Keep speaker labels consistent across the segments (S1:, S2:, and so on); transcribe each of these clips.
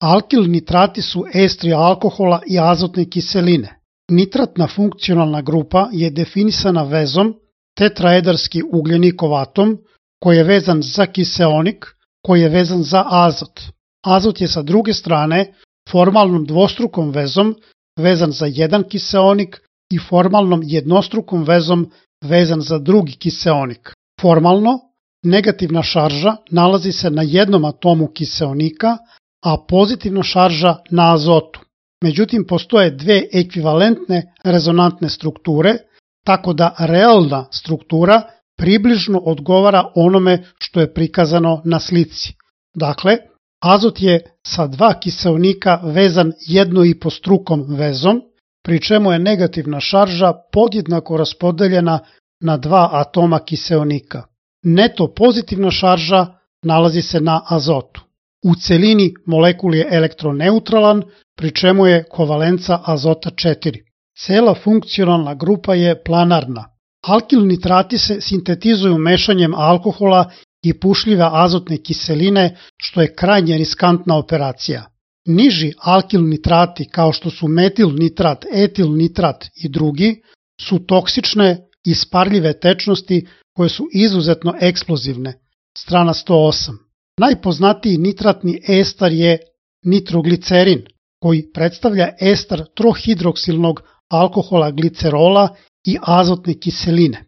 S1: Alkil nitrati su estri alkohola i azotne kiseline. Nitratna funkcionalna grupa je definisana vezom tetraedarski ugljenikov atom koji je vezan za kiseonik koji je vezan za azot. Azot je sa druge strane formalnom dvostrukom vezom vezan za jedan kiseonik i formalnom jednostrukom vezom vezan za drugi kiseonik. Formalno, negativna šarža nalazi se na jednom atomu kiseonika, a pozitivna šarža na azotu. Međutim, postoje dve ekvivalentne rezonantne strukture, tako da realna struktura približno odgovara onome što je prikazano na slici. Dakle, azot je sa dva kiseonika vezan jednoipostrukom vezom, pri čemu je negativna šarža podjednako raspodeljena na dva atoma kiseonika. Neto pozitivna šarža nalazi se na azotu. U celini molekul je elektroneutralan, pri čemu je kovalenca azota 4. Cela funkcionalna grupa je planarna. Alkil nitrati se sintetizuju mešanjem alkohola i pušljive azotne kiseline, što je krajnje riskantna operacija. Niži alkil nitrati, kao što su metil nitrat, etil nitrat i drugi, su toksične i isparljive tečnosti koje su izuzetno eksplozivne. Strana 108. Najpoznatiji nitratni estar je nitroglicerin, koji predstavlja estar trohidroksilnog alkohola glicerola i azotne kiseline.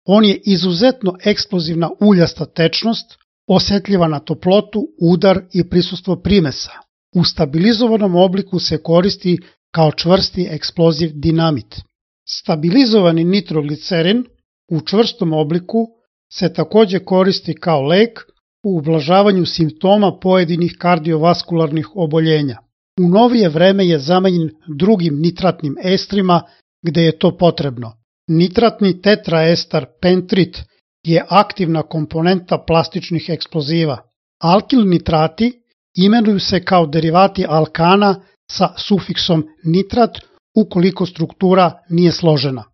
S1: On je izuzetno eksplozivna uljasta tečnost, osetljiva na toplotu, udar i prisustvo primesa. U stabilizovanom obliku se koristi kao čvrsti eksploziv dinamit. Stabilizovani nitroglicerin u čvrstom obliku se takođe koristi kao lek u ublažavanju simptoma pojedinih kardiovaskularnih oboljenja. U novije vreme je zamenjen drugim nitratnim estrima gde je to potrebno. Nitratni tetraestar pentrit je aktivna komponenta plastičnih eksploziva. Alkil nitrati imenuju se kao derivati alkana sa sufiksom nitrat ukoliko struktura nije složena.